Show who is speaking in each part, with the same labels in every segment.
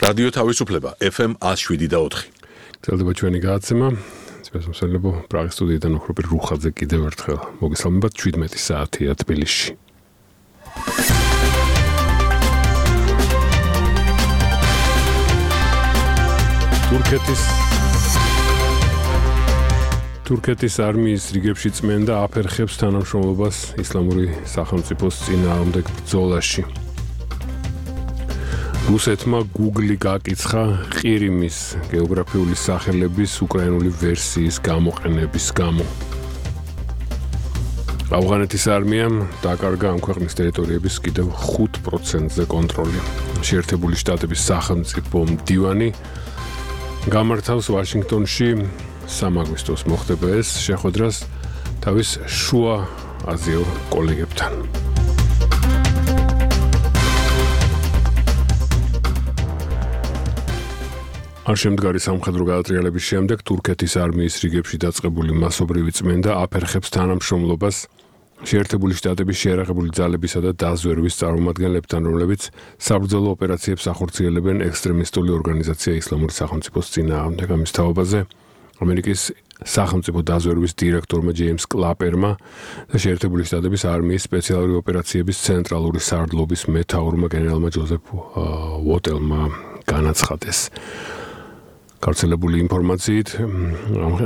Speaker 1: რადიო თავისუფლება FM 107.4.
Speaker 2: გრძელდება ჩვენი გადაცემა. სპეციალურებო პრაღის სტუდიიდან ოქროპირ რუხაძე კიდევ ერთხელ მოგესალმებათ 17 საათია თბილისში. თურქეთის არმიის რიგებში წმენდა აფერხებს თანამშრომლობას ისლამური სახელმწიფოს წინააღმდეგ ბრძოლაში. რუსეთმა Google გაკიცხა ყირიმის გეოგრაფიული სახელების უკრაინული ვერსიის გამოყენების გამო. ავღანეთის არმიამ დაკარგა ამ ქვეყნის ტერიტორიების კიდევ 5%-ზე კონტროლი. შეერთებული შტატების სახელმწიფო მდივანი გამართავს ვაშინგტონში 3 აგვისტოს მოხდება ეს შეხვედრას თავის შუა აზიელ კოლეგებთან. არ შემდგარი სამხედრო გადატრიალების შემდეგ თურქეთის არმიის რიგებში დაწყებული მასობრივი წმენდა აფერხებს თანამშრომლობას შეერთებული შტატების შეიარაღებული ძალებისა და დაზვერვის წარმომადგენლებთან, რომლებიც საბრძოლო ოპერაციებს ახორციელებენ ექსტრემისტული ორგანიზაცია ისლამური სახელმწიფოს წინააღმდეგ. ამის თაობაზე ამერიკის სახელმწიფო დაზვერვის დირექტორმა ჯეიმს კლაპერმა და შეერთებული შტატების არმიის სპეციალური ოპერაციების ცენტრალური სარდლობის მეთაურმა გენერალმა ჯოზეფ უოტელმა განაცხადეს. გავრცელებული ინფორმაციით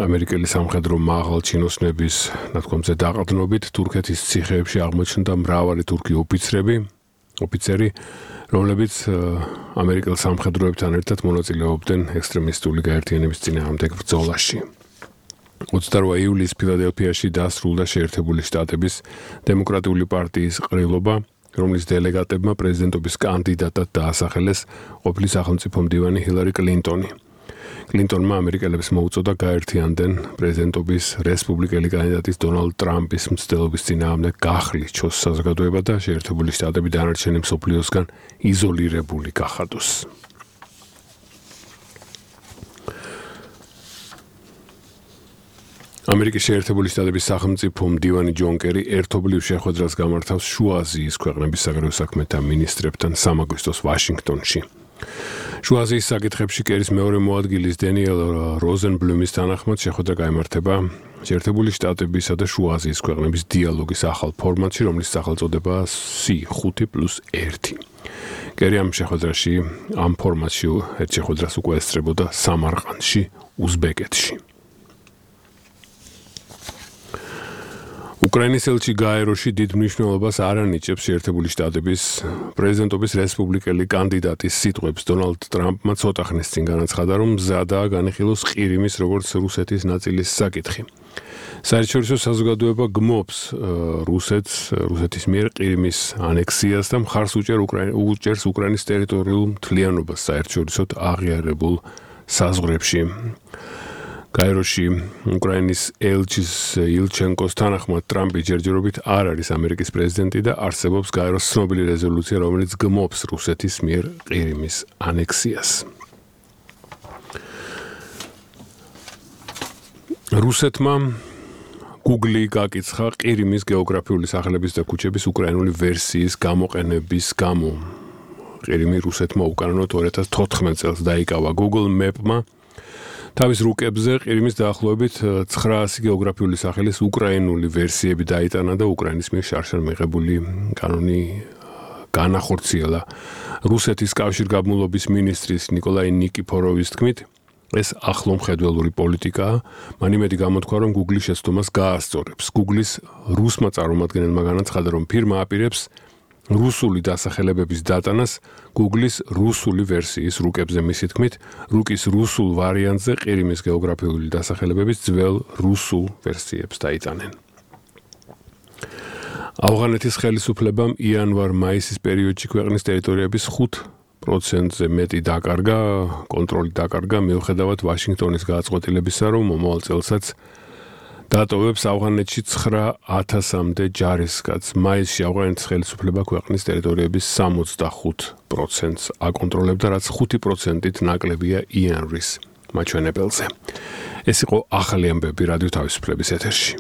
Speaker 2: ამერიკელი სამხედრო მაღალჩინოსნების ნათქვამზე დაყრდნობით თურქეთის ციხეებში აღმოჩნდა მრავალი თურქი ოფიცერი, რომლებიც ამერიკელ სამხედროებთან ერთად მონაწილეობდნენ ექსტრემისტული გაერთიანების წინააღმდეგ ბრძოლაში. 28 ივლისს ფილადელფიაში დასრულდა შეერთებული შტატების დემოკრატიული პარტიის ყრილობა, რომლის დელეგატებმა პრეზიდენტობის კანდიდატად დაასახელეს ყოფილი სახელმწიფო მდივანი ჰილარი კლინტონი. კლინტონმა ამერიკელებს მოუწოდა გაერთიანდნენ პრეზიდენტობის რესპუბლიკელი კანდიდატის დონალდ ტრამპის მცდელობის წინააღმდეგ გახლიჩოს საზოგადოება და შეერთებული შტატები დანარჩენი მსოფლიოსგან იზოლირებული გახადოს. ამერიკის შეერთებული შტატების სახელმწიფო მდივანი ჯონ კერი ერთობლივ შეხვედრას გამართავს შუა აზიის ქვეყნების საგარეო საქმეთა მინისტრებთან 3 აგვისტოს ვაშინგტონში. შუა აზიის საკითხებში კერის მეორე მოადგილის დენიელ როზენბლუმის თანახმად შეხვედრა გაიმართება შეერთებული შტატებისა და შუა აზიის ქვეყნების დიალოგის ახალ ფორმატში, რომლის სახელწოდებაა C5+1. კერი ამ შეხვედრაში ამ ფორმატში ერთ შეხვედრას უკვე ესწრებოდა სამარყანდში, უზბეკეთში. უკრაინის ელჩი გაეროში დიდ მნიშვნელობას არ ანიჭებს შეერთებული შტატების პრეზიდენტობის რესპუბლიკელი კანდიდატის სიტყვებს. დონალდ ტრამპმა ცოტა ხნის წინ განაცხადა, რომ მზადაა განიხილოს ყირიმის როგორც რუსეთის ნაწილის საკითხი. საერთაშორისო საზოგადოება გმობს რუსეთის მიერ ყირიმის ანექსიას და მხარს უჭერს უკრაინის ტერიტორიულ მთლიანობას საერთაშორისოდ აღიარებულ საზღვრებში. გაეროში უკრაინის ელჩის ილჩენკოს თანახმად ტრამპი ჯერჯერობით არ არის ამერიკის პრეზიდენტი და არსებობს გაეროს ცნობილი რეზოლუცია, რომელიც გმობს რუსეთის მიერ ყირიმის ანექსიას. რუსეთმა Google გაკიცხა ყირიმის გეოგრაფიული სახელების და ქუჩების უკრაინული ვერსიის გამოყენების გამო. ყირიმი რუსეთმა უკანონოდ 2014 წელს დაიკავა. Google Map-მა თავის რუკებზე ყირიმის დაახლოებით 900 გეოგრაფიული სახელის უკრაინული ვერსიები დაიტანა და უკრაინის მიერ შარშან მიღებული კანონი განახორციელა. რუსეთის კავშირგაბმულობის მინისტრის ნიკოლაი ნიკიფოროვის თქმით, ეს ახლო მხედველური პოლიტიკაა. მან იმედი გამოთქვა, რომ Google შეცდომას გაასწორებს. Google-ის რუსმა წარმომადგენელმა განაცხადა, რომ ფირმა აპირებს რუსული დასახელებების დატანას Google-ის რუსული ვერსიის რუკებზე. მისი თქმით, რუკის რუსულ ვარიანტზე ყირიმის გეოგრაფიული დასახელებების ძველ რუსულ ვერსიებს დაიტანენ. ავღანეთის ხელისუფლებამ იანვარ-მაისის პერიოდში ქვეყნის ტერიტორიების 5%-ზე მეტი კონტროლი დაკარგა, მიუხედავად ვაშინგტონის გადაწყვეტილებისა, რომ მომავალ წელსაც დატოვებს ავღანეთში 9,000-მდე ჯარისკაცს. მაისში ავღანეთის ხელისუფლება ქვეყნის ტერიტორიების 65%-ს აკონტროლებდა, რაც 5%-ით ნაკლებია იანვრის მაჩვენებელზე. ეს იყო ახალი ამბები რადიო თავისუფლების ეთერში.